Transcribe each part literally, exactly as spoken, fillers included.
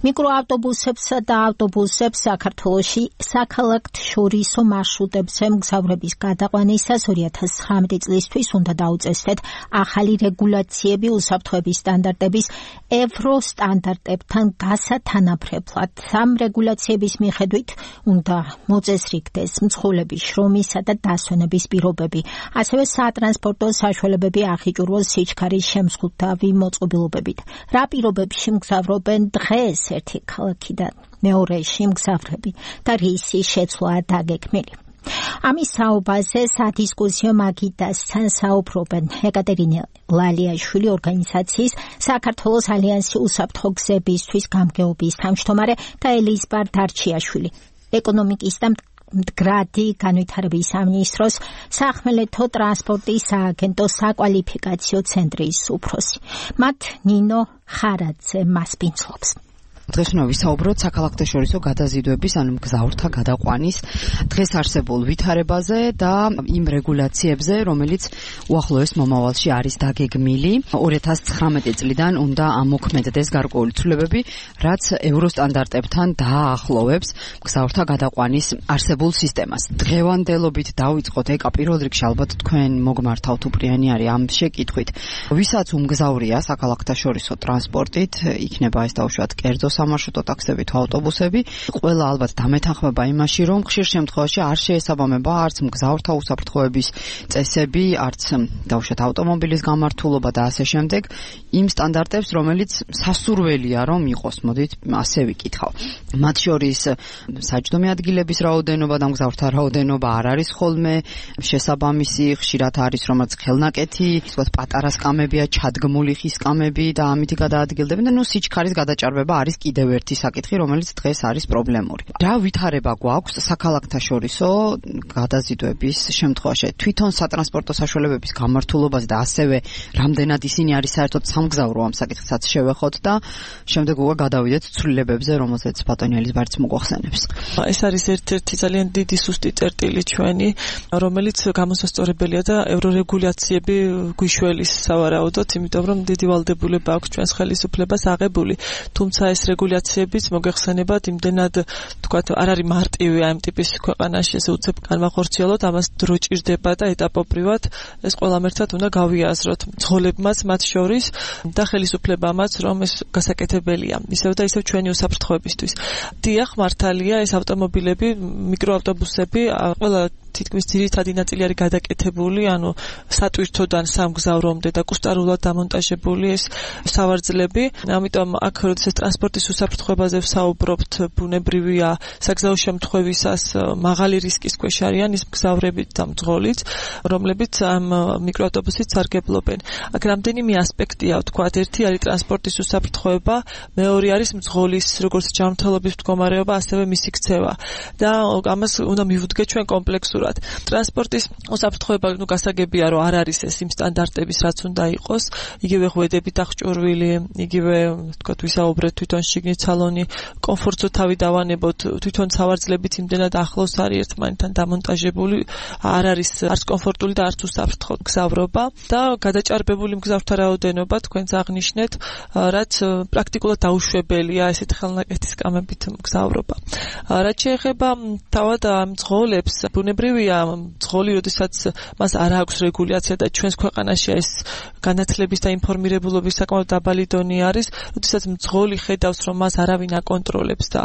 მიკროავტობუსებსა და ავტობუსებს საქართველოში საქალაქთშორისო მარშრუტებზე მგზავრების გადაყვანისას ორი ათას ცხრამეტი წლისთვის უნდა დაუწესდეთ ახალი რეგულაციები უსაფრთხოების სტანდარტების ევრო სტანდარტებთან გასათანაბრებლად. ამ რეგულაციების მიხედვით უნდა მოწესრიგდეს მძღოლების შრომისა და დასვენების პირობები, ასევე სატრანსპორტო საშუალებები ახიჭურვოს სიჩქარის შემზღუდავი მოწყობილობებით. რა პირობებში მგზავრობენ დღეს ერთი ქალაქიდან მეორეში მგზავრები და რისი შეცვლაა დაგეგმილი. ამის საუბაზე სადისკუსიო მაგიდასთან საუბრობენ ეკატერინე ლალიაშვილი, ორგანიზაციის საქართველოს ალიანსი უსაფრთხო გზებისთვის გამგეობის თავმჯდომარე და ელიზბარ დარჩიაშვილი, ეკონომიკის და მდგრადი განვითარების სამინისტროს სახმელეთო ტრანსპორტის სააგენტოს საკვალიფიკაციო ცენტრის უფროსი. მათ ნინო ხარაძე მასპინძლობს. დღეს უნდა ვისაუბროთ საქალაქთშორისო გადაზიდვების, ანუ მგზავრთა გადაყვანის დღეს არსებულ ვითარებაზე და იმ რეგულაციებზე, რომელიც უახლოეს მომავალში არის დაგეგმილი. ორი ათას ცხრამეტი წლიდან უნდა ამოქმედდეს გარკვეული ცვლილებები, რაც ევროსტანდარტებთან დააახლოვებს მგზავრთა გადაყვანის არსებულ სისტემას. დღევანდელობით დავიწყოთ, ეკა პირველ რიგში ალბათ თქვენ მოგმართავთ უპრიანი არის ამ შეკითხვით. ვისაც უმგზავრია საქალაქთშორისო ტრანსპორტით, იქნება ეს დაუშვათ კერძო სამარშრუტო ტაქსები თუ ავტობუსები, ყველა ალბათ დამეთანხმება იმაში, რომ ხშირ შემთხვევაში არ შეესაბამება არც მგზავრთა უსაფრთხოების წესები, არც დაუშვათ ავტომობილის გამართულობა და ასე შემდეგ იმ სტანდარტებს, რომელიც სასურველია რომ იყოს. მოდით ასე ვიკითხავ. მათ შორის საჯდომი ადგილების რაოდენობა და მგზავრთა რაოდენობა არ არის ხოლმე შესაბამისი, ხშირად არის რომელიც ხელნაკეთი, ისე პატარა სკამებია, ჩადგმული ხის სკამები და ამით გადაადგილდებიან და ნუ სიჩქარის გადაჭარბება არის კიდევ ერთი საკითხი, რომელიც დღეს არის პრობლემური. რა ვითარება გვაქვს საქალაქთშორისო გადაზიდვების შემთხვევაში? თვითონ სატრანსპორტო საშუალებების გამართულობაზე და ასევე რამდენად ისინი არის საერთოდ სამგზავრო ამ საკითხსაც შევეხოთ და შემდეგ უკვე გადავიდეთ ცვლილებებზე, რომელზეც ბატონი ელიზბარიც მოგვახსენებს. ეს არის ერთ-ერთი ძალიან დიდი სუსტი წერტილი ჩვენი, რომელიც გამოსასწორებელია და ევრორეგულაციები გვიშველის სავარაუდოდ, იმიტომ რომ დიდი ვალდებულება აქვს ჩვენს ხელისუფლებას აღებული. თუმცა ეს რეგულაციებიც მოგეხსენებათ იმდენად თქვათ არ არის მარტივი ამ ტიპის ქვეყანაში ესე უცებ განმახორციელოთ, ამას დრო ჭირდება და ეტაპობრივად ეს ყველამ ერთად უნდა გავიაზროთ მძღოლებმაც მათ შორის და ხელისუფლებამაც, რომ ეს გასაკეთებელია ისევ და ისევ ჩვენი უსაფრთხოებისთვის. დიახ, მართალია, ეს ავტომობილები, მიკროავტობუსები ყველა თითქმის ძირითადი ნაწილი არის გადაკეთებული, ანუ სატვირთოდან სამგზავრომდე და კუსტარულად დამონტაჟებული ეს სავარძლები. ამიტომ აქ როდესაც ტრანსპორტის უსაფრთხოებაზე ვსაუბრობთ, ბუნებრივია საგზაო შემთხვევისას მაღალი რისკის ქვეშ არიან ის მგზავრები და მძღოლიც, რომლებიც ამ მიკროავტობუსით სარგებლობენ. აქ რამდენიმე ასპექტია, ვთქვათ, ერთი არის ტრანსპორტის უსაფრთხოება, მეორე არის მძღოლის როგორც ჯანმრთელობის მდგომარეობა, ასევე მისი ქცევა. და ამას უნდა მივუდგეთ ჩვენ კომპლექსურად. ტრანსპორტის უსაფრთხოება ნუ გასაგებია, რომ არ არის ეს იმ სტანდარტების, რაც უნდა იყოს, იგივე ღვედებით აღჭურვილი, იგივე თქვათ ვისაუბრეთ თვითონ შიგნით სალონი, კომფორტზე თავი დავანებოთ, თვითონ სავარძლებიც იმდენად ახლოს არის ერთმანეთთან დამონტაჟებული, არ არის არც კომფორტული და არც უსაფრთხო მგზავრობა და გადაჭარბებული მგზავრთა რაოდენობა თქვენც აღნიშნეთ, რაც პრაქტიკულად დაუშვებელია ესეთ ხელნაკეთის სკამებით მგზავრობა. რაც შეეხება თავად ამ მძღოლებს, ბუნებრივია მძღოლი, როდესაც მას არ აქვს რეგულაცია და ჩვენს ქვეყანაში ეს განათლების და ინფორმირებულობის საკმაოდ დაბალი დონე არის, როდესაც მძღოლი ხედავს, რომ მას არავინ აკონტროლებს და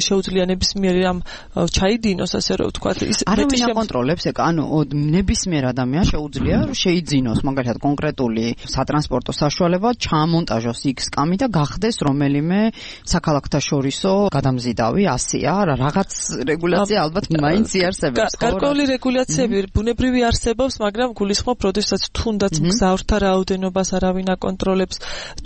შეუძლია ნებისმიერ ამ ჩაიდინოს, ასე რომ ვთქვათ, ის არავინ აკონტროლებს, ეკა, ანუ ნებისმიერ ადამიანს შეუძლია რომ შეიძინოს, მაგალითად კონკრეტული სატრანსპორტო საშუალება, ჩაამონტაჟოს იქ სკამი და გახდეს რომელიმე საქალაქთშორისო გადამზიდავი, ასეა, რაღაც რეგულაცია ალბათ მაინც იარსებობს. გარკვეული რეგულაციები ბუნებრივი არსებობს, მაგრამ გულისხმობ, როდესაც თუნდაც მგზავრთა რაოდენობას არავინ აკონტროლებს,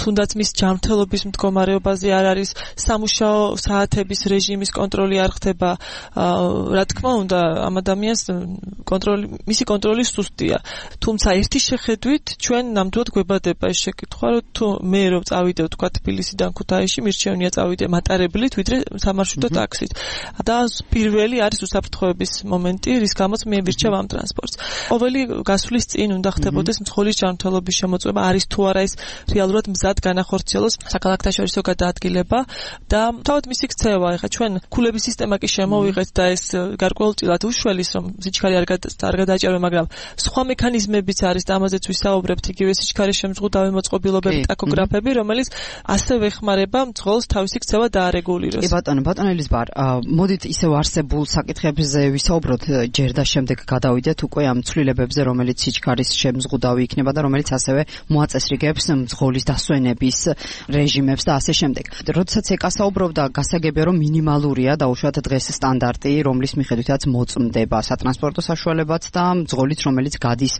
თუნდაც მის ჯანმრთელობის მდგომარეობაზე არ არის სამუშაო საათების რეჟიმის კონტროლი არ ხდება, რა თქმა უნდა, ამ ადამიანს კონტროლი, მისი კონტროლი სუსტია. თუმცა ერთი შეხედვით ჩვენ ნამდვილად გვებადება ეს შეკითხვა, რომ თუ მე რომ წავიდე ვთქვა თბილისიდან ქუთაისში, მირჩევნია წავიდე მატარებლით, ვიდრე სამარშრუტო ტაქსით. და პირველი არის უსაფრთხოების მომენტი, რის გამოც მიევირჩევ ამ ტრანსპორტს. ყოველი გასვლის წინ უნდა ხდებოდეს მძღოლის ჯანმრთელობის შემოწმება, არის თუ არა ის რეალურად მზად განახორციელოს საქალაქთაშორისო გადაადგილება და თავად მისი ქცევა. ეხლა ჩვენ ქულების სისტემა კი შემოვიღეთ და ეს გარკვეულწილად უშველის, რომ სიჩქარე არ გადააჭერვა, მაგრამ სხვა მექანიზმებიც არის და ამაზეც ვისაუბრებთ, იგივე სიჩქარის შემზღუდავი მოწყობილობები, ტაქოგრაფები, რომელიც ასევე ეხმარება მძღოლს თავისი ქცევა დაარეგულიროს. კი ბატონო, ბატონო ელიზბარ, მოდით ისევ არსებულ საკითხებზე ვისაუბროთ, ჯერ და შემდეგ გადავიდეთ უკვე ამ ცვლილებებზე, რომელიც სიჩქარის შემზღუდავი იქნება და რომელიც ასევე მოაწესრიგებს მძღოლის დასვენების რეჟიმებს და ასე შემდეგ. როდესაც ეკასაუბრობდა, გასაგებია რომ მინიმალურია დაუშვათ დღეს სტანდარტი, რომლის მიხედვითაც მოწმდება სატრანსპორტო საშუალებაც და მძღოლიც, რომელიც გადის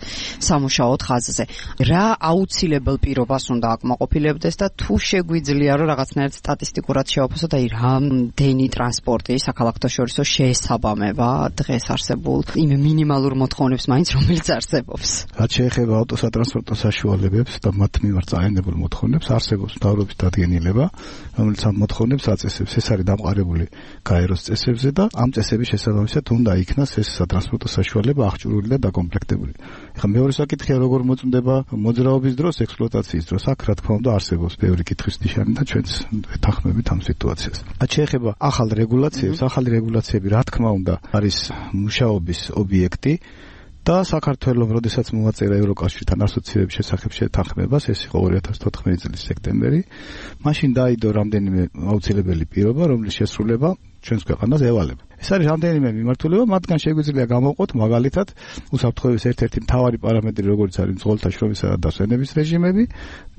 სამუშაოდ ხაზზე. რა აუცილებელ პირობას უნდა აკმაყოფილებდეს და თუ შეგვიძლია რომ რაღაცნაირად სტატისტიკურად შევაფასოთ, აი რამდენი ტრანსპორტი საქალაქთაშორისო შეესაბამება დღეს არსებულ იმ მინიმალურ მოთხოვნებს მაინც რომელიც არსებობს. რაც შეეხება ავტოსატრანსპორტო საშუალებებს და მათ მიმართ წაენებულ მოთხოვნებს, არსებობს მთავრობის დადგენილება, რომელიც ამ მოთხოვნებს აწესებს. ეს არის დამყარებული გაეროს წესებზე და ამ წესების შესაბამისად უნდა იქნას ეს სატრანსპორტო საშუალება აღჭურვილი და დაკომპლექტებული. ეხლა მეორე საკითხია, როგორ მოწმდება მოძრაობის დროს, ექსპლუატაციის დროს. აქ რა თქმა უნდა არსებობს ბევრი კითხვის ნიშანი და ჩვენც ვეთანხმებით ამ სიტუაციას. რაც შეეხება ახალ რეგულაციებს, ახალი რეგულაციები რა თქმა უნდა არის მუშაობის ობიექტი. და საქართველოს, როდესაც მოაწერა ევროკავშირთან ასოციირების შესახებ შეთანხმებას, ეს იყო ორი ათას თოთხმეტი წლის სექტემბერი, მაშინ დაიდო რამდენიმე აუცილებელი პირობა, რომლის შესრულება ჩვენს ქვეყანას ევალება. ეს არის რამდენიმე მიმართულება, მათგან შეგვიძლია გამოვყოთ მაგალითად უსაფრთხოების ერთ-ერთი მთავარი პარამეტრი, როგორც არის მძღოლთა შრომისა და დასვენების რეჟიმები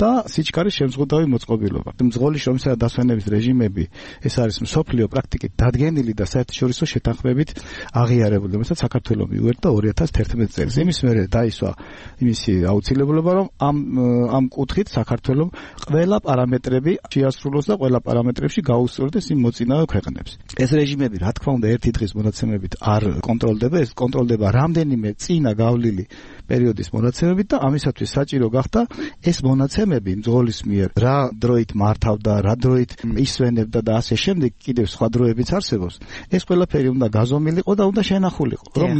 და სიჩქარის შემზღუდავი მოწყობილობა. მძღოლის შრომისა და დასვენების რეჟიმები, ეს არის მსოფლიო პრაქტიკით დადგენილი და საერთაშორისო შეთანხმებით აღიარებული, რომელსაც საქართველოს მიუერთა ორი ათას თერთმეტი წელს. იმის მერე დაისვა იმისი აუცილებლობა, რომ ამ ამ კუთხით საქართველოს ყველა პარამეტრები შეასრულოს და ყველა პარამეტრებში გაუსწორდეს იმ მოწინავე ქვეყნებს. ეს რეჟიმები, რა თქმა უნდა, ერთი დღის მონაცემებით არ კონტროლდება, ეს კონტროლდება რამდენიმე წინა გავლილი პერიოდის მონაცემებით და ამისათვის საჭირო გახდა ეს მონაცემები მძღოლის მიერ რა დროით მართავდა, რა დროით ისვენებდა და ასე შემდეგ, კიდევ სხვა დროებიც არსებობს. ეს ყველაფერი უნდა გაზომილიყო და უნდა შენახულიყო, რომ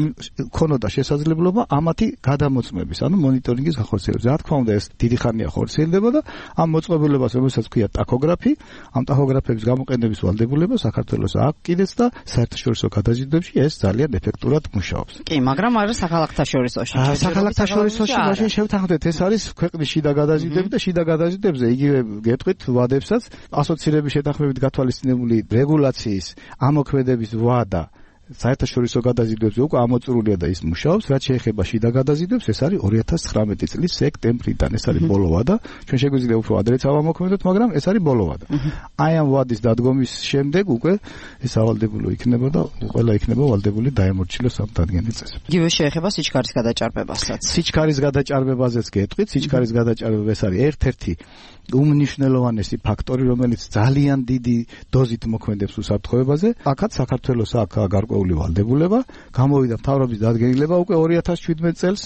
ქონოდა შესაძლებლობა ამათი გადამოწმების, ანუ მონიტორინგის გახორციელების. რა თქმა უნდა, ეს დიდი ხანია ხორციელდება და ამ მოწყობილობას, რომელსაც ქვია ტაქოგრაფი, ამ ტაქოგრაფების გამოყენების ვალდებულება საქართველოს აქვს კიდეც და საერთაშორისო გადაზიდვებში ეს ძალიან ეფექტურად მუშაობს. კი, მაგრამ არა საქალაქთაშორისოში. საქალაქთაშორისოში მაშინ შევთანხმდეთ, ეს არის ქვეყნის შიდა გადაზიდვები და შიდა გადაზიდვებზე იგივე გეტყვით ვადებსაც ასოცირების შეთანხმებით გათვალისწინებული რეგულაციის ამოქმედების ვადა საერთაშორისო გადაზიდვებზე უკვე ამოწურულია და ის მუშაობს. რაც შეეხება შიდა გადაზიდვებს, ეს არის ორი ათას ცხრამეტი წლის სექტემბრიდან, ეს არის ბოლო ვადა. ჩვენ შეგვიძლია უფრო ადრეც ავამოქმედოთ, მაგრამ ეს არის ბოლო ვადა. აი ამ ვადის დადგომის შემდეგ უკვე ეს ავალდებულო იქნება და ყველა იქნება ვალდებული დაემორჩილოს ამ დადგენილ წესებს. იგივე შეეხება სიჩქარის გადაჭარბებასაც. სიჩქარის გადაჭარბებაზეც გეტყვით, სიჩქარის გადაჭარბება ეს არის ერთ-ერთი უმნიშვნელოვანესი ფაქტორი, რომელიც ძალიან დიდი დოზით მოქმედებს უსაფრთხოებაზე. აქაც საქართველოს აქვს გარკვეული ვალდებულება, გამოვიდა მთავრობის დადგენილება უკვე ორი ათას შვიდმეტი წელს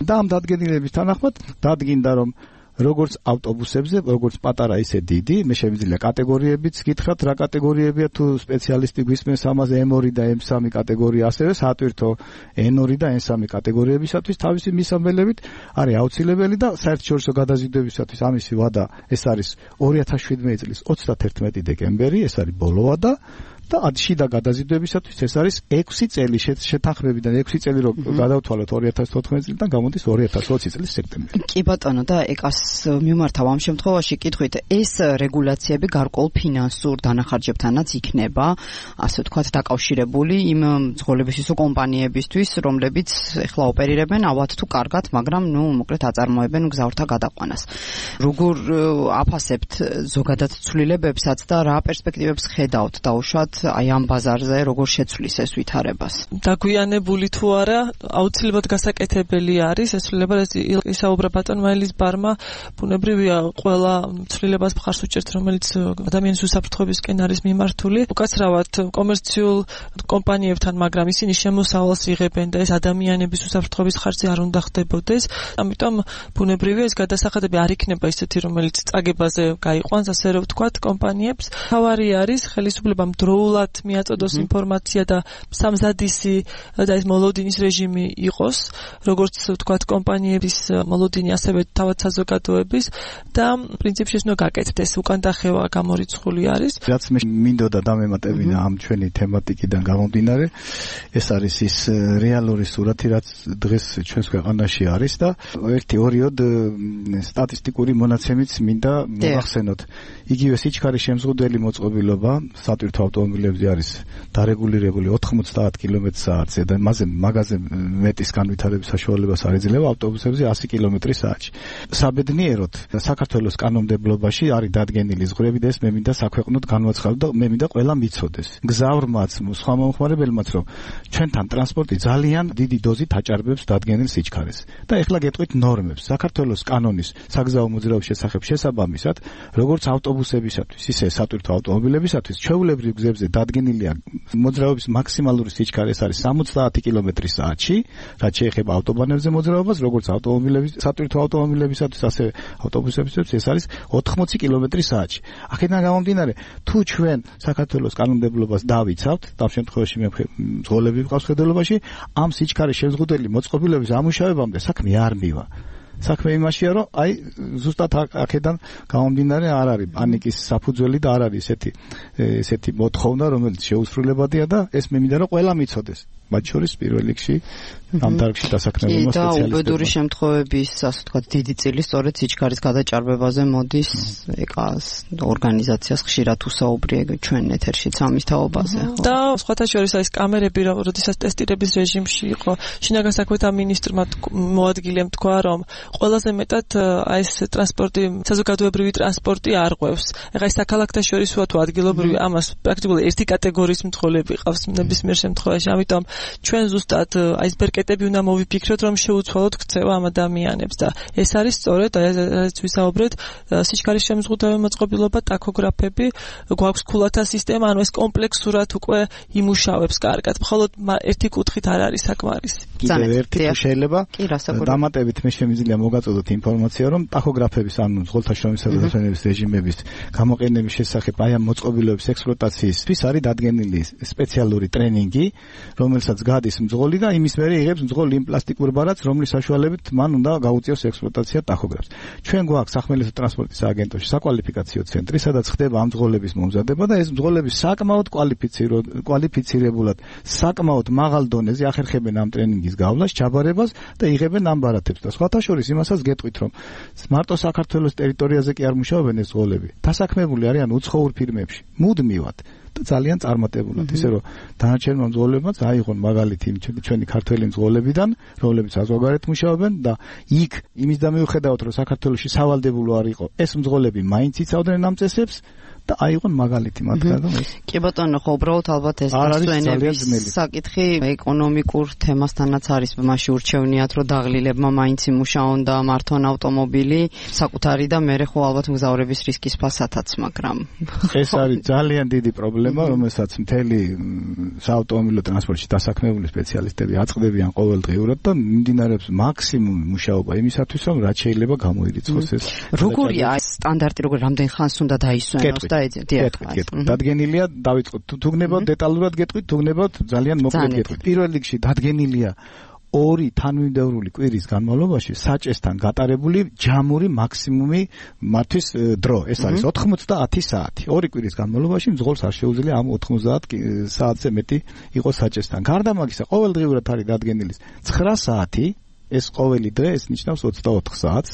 და ამ დადგენილების თანახმად დადგინდა, რომ როგორც ავტობუსებზე, როგორც პატარა ისე დიდი, მე შემიძლია კატეგორიებიც გითხრათ, რა კატეგორიებია, თუ სპეციალისტი გვისმენს ამაზე ემ ორი და ემ სამი კატეგორია, ასევე საატვირთო ენ ორი და ენ სამი კატეგორიებისათვის თავისი მისამბელებით არის აუცილებელი და საერთაშორისო გადაზიდვებისათვის ამისი ვადა ეს არის ორი ათას შვიდმეტი წლის ოცდათერთმეტი დეკემბერი, ეს არის ბოლო ვადა. და შიდა გადაზიდვებისათვის ეს არის ექვსი წელი შეთანხმებიდან ექვსი წელი რომ გადავთვალოთ ორი ათას თოთხმეტი წლიდან გამოდის ორი ათას ოცი წლის სექტემბერი. კი ბატონო, და ეკას მიმართავ ამ შემთხვევაში კითხვით, ეს რეგულაციები გარკვეულ ფინანსურ დანახარჯებთანაც იქნება, ასე ვთქვათ, დაკავშირებული იმ მძღოლებისო კომპანიებისთვის, რომლებიც ეხლა ოპერირებენ ავად თუ კარგად, მაგრამ ნუ მოკლედ აწარმოებენ გზავრთა გადაყვანას. როგორ აფასებთ ზოგადად ცვლილებებსაც და რა პერსპექტივებს ხედავთ დაუშვათ აი ამ ბაზარზე როგორ შეცვლის ეს ვითარებას? დაგვიანებული თუ არა, აუცილებლად გასაკეთებელი არის ეს ცვლილება, ეს ისაუბრა ბატონმა ელიზბარმა, ბუნებრივია ყველა ცვლილებას მხარს უჭერთ, რომელიც ადამიანის უსაფრთხოებისკენ არის მიმართული. უკაცრავად კომერციულ კომპანიებთან, მაგრამ ისინი შემოსავალს იღებენ და ეს ადამიანების უსაფრთხოების ხარჯზე არ უნდა ხდებოდეს. ამიტომ ბუნებრივია ეს გადასახადები არ იქნება ისეთი, რომელიც წაგებაზე გაიყვანს, ასე რომ ვთქვათ, კომპანიებს. თავარი არის ხელისუფლებამ დროულ სრულად მიაწოდოს ინფორმაცია და სამზადისი და ეს მოლოდინის რეჟიმი იყოს, როგორც ვთქვათ, კომპანიების მოლოდინი, ასევე თავად საზოგადოების და პრინციპში ეს უნდა გაკეთდეს, უკან დახევა გამორიცხული არის. რაც მე მინდოდა დამემატებინა ამ ჩვენი თემატიკიდან გამომდინარე, ეს არის ის რეალური სურათი, რაც დღეს ჩვენს ქვეყანაში არის და ერთი ორიოდ სტატისტიკური მონაცემიც მინდა მოგახსენოთ. იგივე სიჩქარის შემზღუდველი მოწყობილობა სატვირთო ავტომობილებზე არის დარეგულირებული ოთხმოცდაათ კილომეტრ საათზე და მასზე მაგაზე მეტის განვითარების საშუალებას არ ეძლევა ავტობუსებზე ასი კილომეტრი საათში. საბედნიეროდ საქართველოს კანონმდებლობაში არის დადგენილი ზღვრები და ეს მე მინდა საქვეყნოდ განვაცხადო და მე მინდა ყველა მიცოდეს. გზავრმაც, სხვა მომხმარებელმაც, რომ ჩვენთან ტრანსპორტი ძალიან დიდი დოზით აჭარბებს დადგენილ სიჩქარეს. და ეხლა გეტყვით ნორმებს. საქართველოს კანონის საგზაო მოძრაობის შესახებ შესაბამისად, როგორც ავტობუსებისათვის, ისე სატვირთო ავტომობილებისათვის, ჩვეულებრივ გზებზე დადგენილია მოძრაობის მაქსიმალური სიჩქარე, ეს არის სამოცდაათი კილომეტრი საათში, რაც შეეხება ავტობანებზე მოძრაობას, როგორც ავტომობილების, სატვირთო ავტომობილებისათვის, ასევე ავტობუსებისათვის, ეს არის ოთხმოცი კილომეტრი საათში. აქედან გამომდინარე, თუ ჩვენ საქართველოს კანონმდებლობას დავიცავთ, ამ შემთხვევაში მე მძღოლები ვყავს ხედელობაში, ამ სიჩქარის შემზღუდველი მოწყობილობის ამუშავებამდე საქმე არ მივა. საქმე იმაშია, რომ აი ზუსტად აქედან გამომდინარე არ არის პანიკის საფუძველი და არ არის ესეთი ესეთი მოთხოვნა, რომელიც შეუსრულებადია და ეს მე მინდა რომ ყველა მიცოდეს. მათ შორის პირველ რიგში ამ დარგში დასაქმებულმა სპეციალისტებმა. და უბედური შემთხვევების, ასე ვთქვათ, დიდი წილი სწორედ სიჩქარის გადაჭარბებაზე მოდის ეკას ორგანიზაციას ხშირად უსაუბრია ჩვენ ეთერშიც ამის თაობაზე. და სხვათა შორის ეს კამერები, როდესაც ტესტირების რეჟიმში იყო, შინაგან საქმეთა მინისტრმა მოადგილემ თქვა, რომ ყველაზე მეტად აი ეს ტრანსპორტი, საზოგადოებრივი ტრანსპორტი არ ღვევს. ეხლა ეს საქალაქთა შორისაა თუ ადგილობრივი, ამას პრაქტიკულად ერთი კატეგორიის მძღოლები ყავს ნებისმიერ შემთხვევაში, ამიტომ ჩვენ ზუსტად აი ეს ბერკეტები უნდა მოვიფიქროთ, რომ შეუცვალოთ ქცევა ამ ადამიანებს და ეს არის სწორედ აი ეს ვისაუბრეთ სიჩქარის შემზღუდველი მოწყობილობა, ტაქოგრაფები, გვაქვს ქულათა სისტემა, ანუ ეს კომპლექსურად უკვე იმუშავებს კარგად. მხოლოდ ერთი კუთხით არ არის საკმარისი. კიდევ ერთი თუ შეიძლება დამატებით მე შემიძლია მოგაწოდოთ ინფორმაცია, რომ ტაქოგრაფების ანუ მძღოლთა შრომისა და დაფენების რეჟიმების გამოყენების შესახებ აი ამ მოწყობილობების ექსპლუატაციისთვის არის დადგენილი სპეციალური ტრენინგი, რომელსაც გადის მძღოლი და იმის მერე იღებს მძღოლი იმ პლასტიკურ ბარათს, რომლის საშუალებით მან უნდა გაუწიოს ექსპლუატაცია ტაქოგრაფს. ჩვენ გვაქვს სახმელეთო ტრანსპორტის სააგენტოში საკვალიფიკაციო ცენტრი, სადაც ხდება ამ მძღოლების მომზადება და ეს მძღოლები საკმაოდ კვალიფიცირებულად, საკმაოდ მაღალ დონეზე ახერხებენ ამ ტრენინგის გავლას, ჩაბარებას და იღებენ ამ ბარათებს. და სხვათა შორის იმასაც გეტყვით, რომ მარტო საქართველოს ტერიტორიაზე კი არ მუშაობენ ეს მძღოლები. დასაქმებული არიან უცხოურ ფირმებში, მუდმივად. და ძალიან წარმატებულად, ისე რომ დანარჩენმა მძღოლებმაც აიღონ მაგალითი ჩვენი ქართველი მძღოლებიდან, რომლებიც საზღვარგარეთ მუშაობენ და იქ იმის და მიუხედავად რომ საქართველოში სავალდებულო არ იყო, ეს მძღოლები მაინც იცავდნენ ამ წესებს და აიღონ მაგალითი მათგან. კი ბატონო, ხო უბრალოდ ალბათ ეს დასვენების საკითხი ეკონომიკურ თემასთანაც არის, მასში ურჩევნიათ რომ დაღლილებმა მაინც იმუშაონ და მართონ ავტომობილი საკუთარი და მერე ხო ალბათ მგზავრების რისკის ფასათაც, მაგრამ ეს არის ძალიან დიდი პრობლემა, რომელსაც მთელი საავტომობილო ტრანსპორტში დასაქმებული სპეციალისტები აწყდებიან ყოველდღიურად და მიმდინარეობს მაქსიმუმი მუშაობა იმისათვის, რომ რაც შეიძლება გამოირიცხოს ეს. როგორია ეს სტანდარტი, როგორ რამდენ ხანს უნდა დაისვენოს და დადგენილია, დავიწყოთ თუ გნებავთ დეტალურად გეტყვით, თუ გნებავთ ძალიან მოკლედ გეტყვით. პირველ რიგში დადგენილია ორი თანმიმდევრული კვირის განმავლობაში საჭესთან გატარებული ჯამური მაქსიმუმი მართვის დრო. ეს არის ოთხმოცდაათი საათი. ორი კვირის განმავლობაში მძღოლს არ შეუძლია ამ ოთხმოცდაათ საათზე მეტი იყოს საჭესთან. გარდა მაგისა, ყოველდღიურად არის დადგენილი ცხრა საათი. ეს ყოველი დღე ეს ნიშნავს ოცდაოთხ საათს.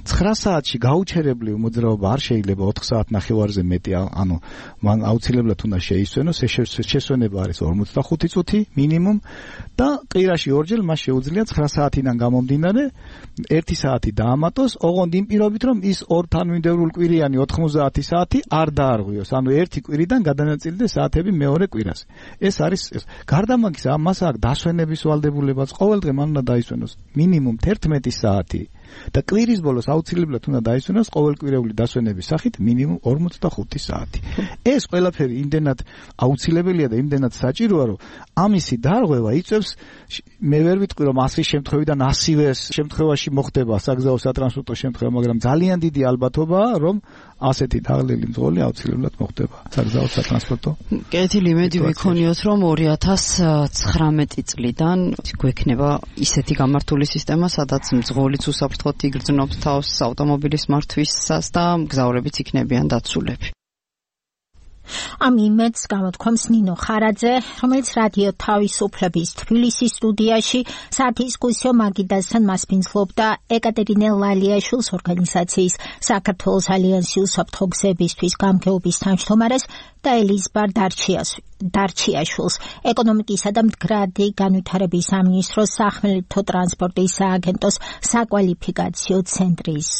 ცხრა საათში გაუჩერებლივ მოძრაობა არ შეიძლება ოთხ საათ ნახევარზე მეტი, ანუ მან აუცილებლად უნდა შეისვენოს, შესვენება არის ორმოცდახუთი წუთი მინიმუმ და კვირაში ორჯერ მას შეუძლია ცხრა საათიდან გამომდინარე ერთი საათი დაამატოს, ოღონდ იმ პირობით, რომ ის ორ თანმიმდევრულ კვირიანი ოთხმოცდაათი საათი არ დაარღვიოს, ანუ ერთი კვირიდან გადანაწილდეს საათები მეორე კვირას. ეს არის გარდა მაგისა, მას აქვს დასვენების ვალდებულებაც, ყოველდღე მან უნდა დაისვენოს მინიმუმ თერთმეტი საათი და კვირის ბოლოს აუცილებლად უნდა დაისვენოს ყოველკვირეული დასვენების სახით მინიმუმ ორმოცდახუთი საათი. ეს ყველაფერი იმდენად აუცილებელია და იმდენად საჭიროა, რომ ამისი დარღვევა იწევს, მე ვერ ვიტყვი რომ ასის შემთხვევიდან ასივეს შემთხვევაში მოხდება საგზაო სატრანსპორტო შემთხვევა, მაგრამ ძალიან დიდი ალბათობაა, რომ ასეთი თაღლილი მძღოლი აუცილებლად მოხდება საგზაო სატრანსპორტო. კეთილი, იმედი ვიქონიოთ, რომ ორი ათას ცხრამეტი წლიდან გვექნება ისეთი გამართული სისტემა, სადაც მძღოლიც უსაფრთხოდ იგრძნობს თავს ავტომობილის მართვისას და მგზავრებიც იქნებიან დაცულები. ამ იმედს გამოთქვამს ნინო ხარაძე, რომელიც რადიო თავისუფლების თბილისის სტუდიაში სადისკუსიო მაგიდასთან მასპინძლობდა ეკატერინე ლალიაშვილის ორგანიზაციის საქართველოს ალიანსი უსაფრთხო გზებისთვის გამგეობის თავმჯდომარეს და ელიზბარ დარჩიაშვილს, ეკონომიკისა და მდგრადი განვითარების სამინისტროს სახმელეთო ტრანსპორტის სააგენტოს საკვალიფიკაციო ცენტრის